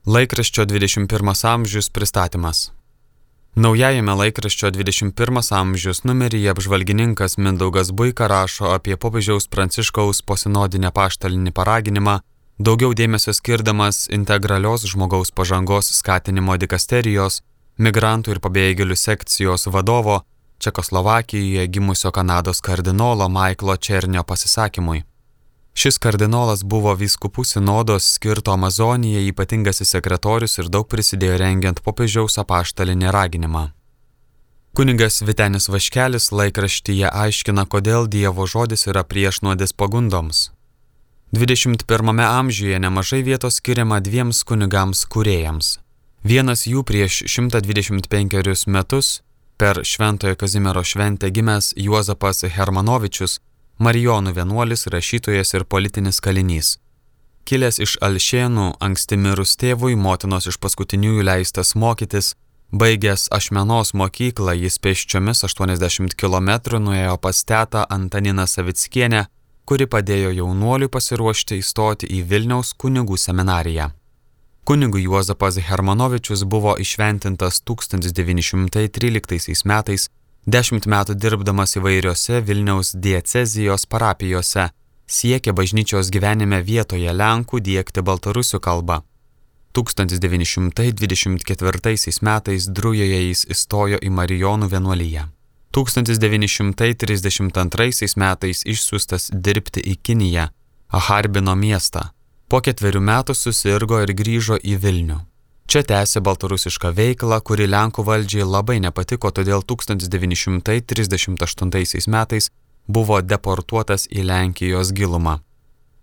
Laikraščio 21 amžius pristatymas. Naujajame laikraščio 21 amžius numeryje apžvalgininkas Mindaugas Buika rašo apie popiežiaus Pranciškaus posinodinę apaštalinį paraginimą, daugiau dėmesio skirdamas integralios žmogaus pažangos skatinimo dikasterijos, migrantų ir pabėgėlių sekcijos vadovo, Čekoslovakijoje gimusio Kanados kardinolo Maiklo Černio pasisakymui. Šis kardinolas buvo vyskupų sinodos skirto Amazonijai ypatingasis sekretorius ir daug prisidėjo rengiant popiežiaus apaštalinį raginimą. Kunigas Vytenis Vaškelis laikraštyje aiškina, kodėl Dievo žodis yra priešnuodis pagundoms. 21 amžiuje nemažai vietos skiriama dviems kunigams kūrėjams. Vienas jų prieš 125 metus per Šventojo Kazimiero šventę gimęs Juozapas Hermanovičius, Marijonų vienuolis, rašytojas ir politinis kalinys. Kilęs iš Alšėnų, anksti mirus tėvui, motinos iš paskutiniųjų leistas mokytis, baigęs Ašmenos mokyklą, jis pėsčiomis 80 km nuėjo pas tetą Antaniną Savickienę, kuri padėjo jaunuoliui pasiruošti įstoti į Vilniaus kunigų seminariją. Kunigui Juozapas Hermanovičius buvo įšventintas 1913 metais, 10 metų dirbdamas įvairiose Vilniaus diecezijos parapijose, siekė bažnyčios gyvenime vietoje lenkų diegti baltarusių kalbą. 1924 metais Drujoje jis įstojo į Marijonų vienuoliją. 1932 metais išsiųstas dirbti į Kiniją, Harbino miestą. Po 4 metų susirgo ir grįžo į Vilnių. Čia tęsė baltarusišką veiklą, kuri Lenkų valdžiai labai nepatiko, todėl 1938 metais buvo deportuotas į Lenkijos gilumą.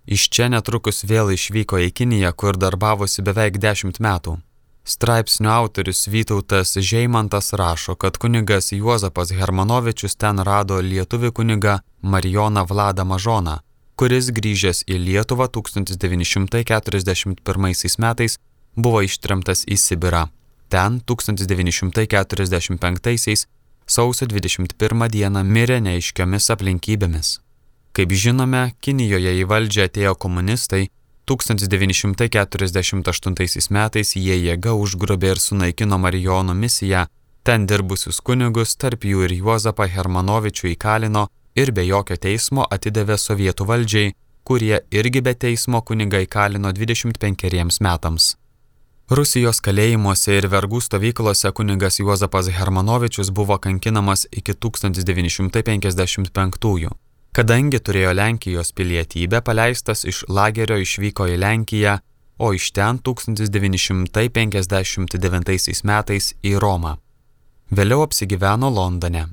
Iš čia netrukus vėl išvyko į Kiniją, kur darbavosi beveik 10 metų. Straipsnio autorius Vytautas Žeimantas rašo, kad kunigas Juozapas Hermanovičius ten rado lietuvį kunigą Marijoną Vladą Mažoną, kuris grįžęs į Lietuvą 1941 metais buvo ištremtas į Sibirą. Ten 1945 sausio 21 dieną mirė neaiškiomis aplinkybėmis. Kaip žinome, Kinijoje į valdžią atėjo komunistai, 1948 metais jie jėga užgrobė ir sunaikino Marijonų misiją, ten dirbusius kunigus, tarp jų ir Juozapą Hermanovičių įkalino ir be jokio teismo atidavė sovietų valdžiai, kurie irgi be teismo kunigą įkalino 25 metams. Rusijos kalėjimuose ir vergų stovyklose kunigas Juozapas Hermanovičius buvo kankinamas iki 1955. Kadangi turėjo Lenkijos pilietybę, paleistas iš lagerio išvyko į Lenkiją, o iš ten 1959 metais į Romą. Vėliau apsigyveno Londone.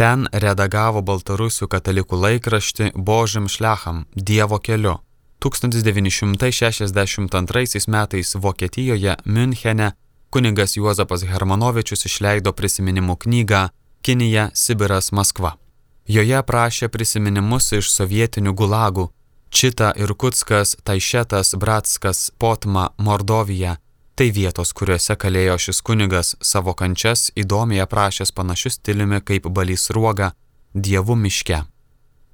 Ten redagavo baltarusių katalikų laikraštį Božim šliacham – Dievo keliu. 1962 metais Vokietijoje, Münchene, kunigas Juozapas Hermanovičius išleido prisiminimų knygą Kinija, Sibiras, Maskva. Joje aprašė prisiminimus iš sovietinių gulagų – Čita, Irkutskas, Taišetas, Bratskas, Potma, Mordovija. Tai vietos, kuriuose kalėjo šis kunigas, savo kančias įdomiai aprašęs panašius stiliumi kaip Balys Sruoga Dievų miške.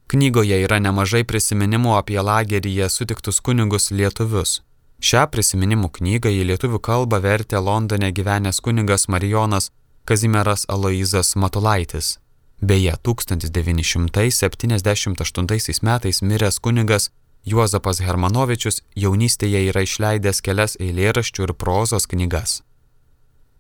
Knygoje yra nemažai prisiminimų apie lageryje sutiktus kunigus lietuvius. Šią prisiminimų knygą į lietuvių kalbą vertė Londone gyvenęs kunigas Marijonas Kazimieras Aloyzas Matulaitis. Beje, 1978 metais miręs kunigas Juozapas Hermanovičius jaunystėje yra išleidęs kelias eilėraščių ir prozos knygas.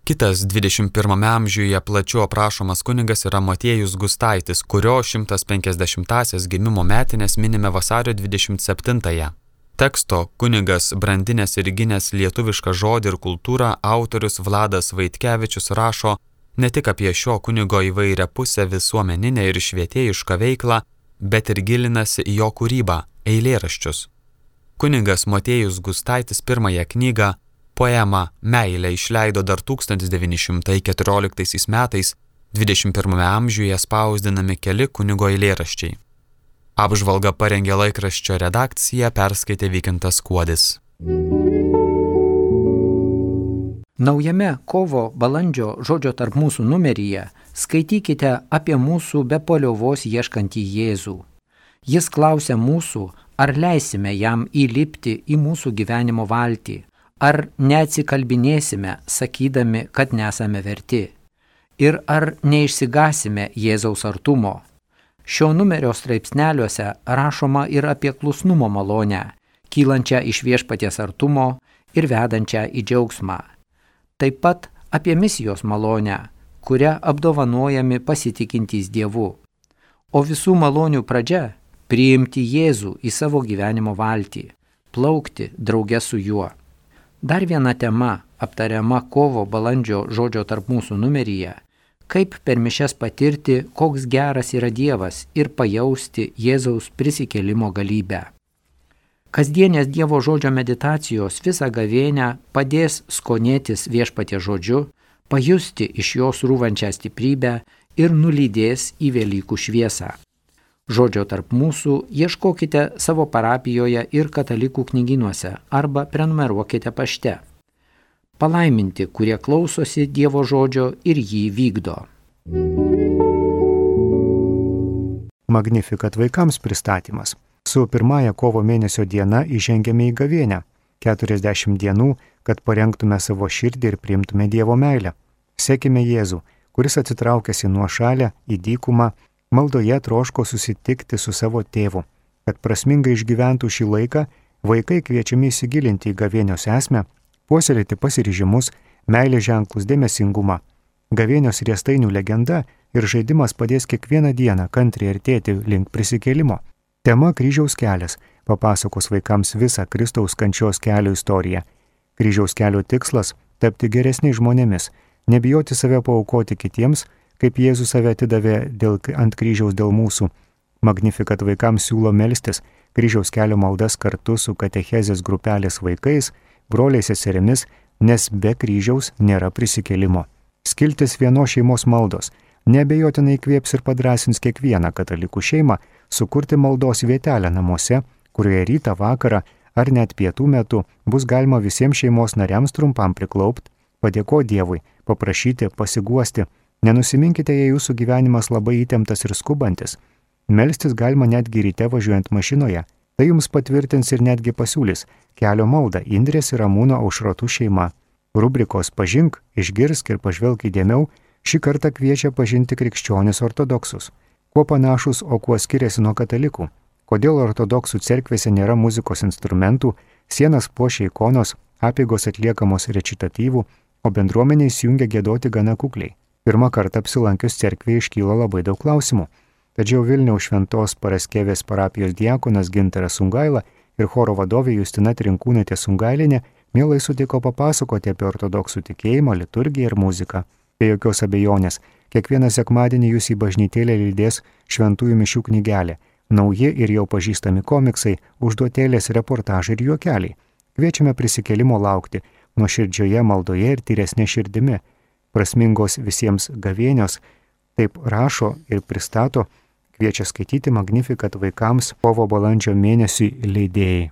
Kitas 21 amžiuje plačiau aprašomas kunigas yra Motiejus Gustaitis, kurio 150-asias gimimo metinės minime vasario 27-ąją. Teksto kunigas brandinės ir gynęs lietuvišką žodį ir kultūrą autorius Vladas Vaitkevičius rašo ne tik apie šio kunigo įvairią pusę visuomeninę ir švietėjišką veiklą, bet ir gilinasi į jo kūrybą, eilėraščius. Kunigas Motiejus Gustaitis pirmąją knygą poemą Meilė išleido dar 1914 metais, 21 amžiuje spausdinami keli kunigo eilėraščiai. Apžvalgą parengė laikraščio redakcija, perskaitė Vykintas Kuodis. Naujame kovo-balandžio žodžio tarp mūsų numeryje skaitykite apie mūsų be paliovos ieškantį Jėzų. Jis klausia mūsų, ar leisime jam įlipti į mūsų gyvenimo valtį, Ar neatsikalbinėsime, sakydami, kad nesame verti? Ir ar neišsigasime Jėzaus artumo? Šio numerio straipsneliuose rašoma ir apie klusnumo malonę, kylančią iš viešpaties artumo ir vedančią į džiaugsmą. Taip pat apie misijos malonę, kuria apdovanojami pasitikintys Dievu. O visų malonių pradžia – priimti Jėzų į savo gyvenimo valtį, plaukti drauge su juo. Dar viena tema aptariama kovo-balandžio žodžio tarp mūsų numeryje – kaip per mišias patirti, koks geras yra Dievas ir pajausti Jėzaus prisikėlimo galybę. Kasdienės Dievo žodžio meditacijos visą gavėnią padės skonėtis viešpaties žodžiu, pajusti iš jos rūvančią stiprybę ir nulydės į Velykų šviesą. Žodžio tarp mūsų ieškokite savo parapijoje ir katalikų knygynuose arba prenumeruokite pašte. Palaiminti, kurie klausosi Dievo žodžio ir jį vykdo. Magnificat vaikams pristatymas. Su pirmąja kovo mėnesio diena įžengėme į gavėnią. 40 dienų, kad parengtume savo širdį ir priimtume Dievo meilę. Sekime Jėzų, kuris atsitraukęs į nuošalę, į dykumą, maldoje troško susitikti su savo tėvu. Kad prasmingai išgyventų šį laiką, vaikai kviečiami įsigilinti į gavėnios esmę, puoselėti pasiryžimus, meilės ženklus, dėmesingumą. Gavėnios riestainių legenda ir žaidimas padės kiekvieną dieną kantriai artėti link prisikėlimo. Tema kryžiaus kelias papasakos vaikams visą Kristaus kančios kelio istoriją. Kryžiaus kelio tikslas – tapti geresniais žmonėmis, nebijoti save paaukoti kitiems, kaip Jėzus save atidavė ant kryžiaus dėl mūsų. Magnificat vaikams siūlo melstis kryžiaus kelio maldas kartu su katechezės grupelės vaikais, broliais seserimis, nes be kryžiaus nėra prisikėlimo. Skiltis vienos šeimos maldos neabejotinai įkvėps ir padrąsins kiekvieną katalikų šeimą sukurti maldos vietelę namuose, kurioje rytą, vakarą ar net pietų metu bus galima visiems šeimos nariams trumpam priklaupti, padėkoti Dievui, paprašyti, pasiguosti. Nenusiminkite, jei jūsų gyvenimas labai įtemptas ir skubantis. Melstis galima netgi ryte važiuojant mašinoje. Tai jums patvirtins ir netgi pasiūlys kelio maldą Indrės ir Ramūno Aušrotų šeima. Rubrikos Pažink, išgirsk ir pažvelk įdėmiau šį kartą kviečia pažinti krikščionis ortodoksus. Kuo panašus, o kuo skiriasi nuo katalikų? Kodėl ortodoksų cerkvėse nėra muzikos instrumentų, sienas puošia ikonos, apeigos atliekamos recitatyvų, o bendruomenė įsijungia giedoti gana kukliai? Pirmą kartą apsilankius cerkvėje iškyla labai daug klausimų. Tačiau Vilniaus Šventos Paraskevės parapijos diakonas Gintaras Sungaila ir choro vadovė Justina Trinkūnaitė Sungailinė mielai sutiko papasakoti apie ortodoksų tikėjimą, liturgiją ir muziką. Be jokios abejonės, kiekvieną sekmadienį jūs į bažnytėlę lydės šventųjų mišių knygelė, nauji ir jau pažįstami komiksai, užduotėlės, reportažai ir juokeliai. Kviečiame prisikėlimo laukti nuoširdžioje maldoje ir tyresnė širdimi. Prasmingos visiems gavėnios, taip rašo ir pristato, kviečia skaityti Magnificat vaikams kovo-balandžio mėnesiui leidėjai.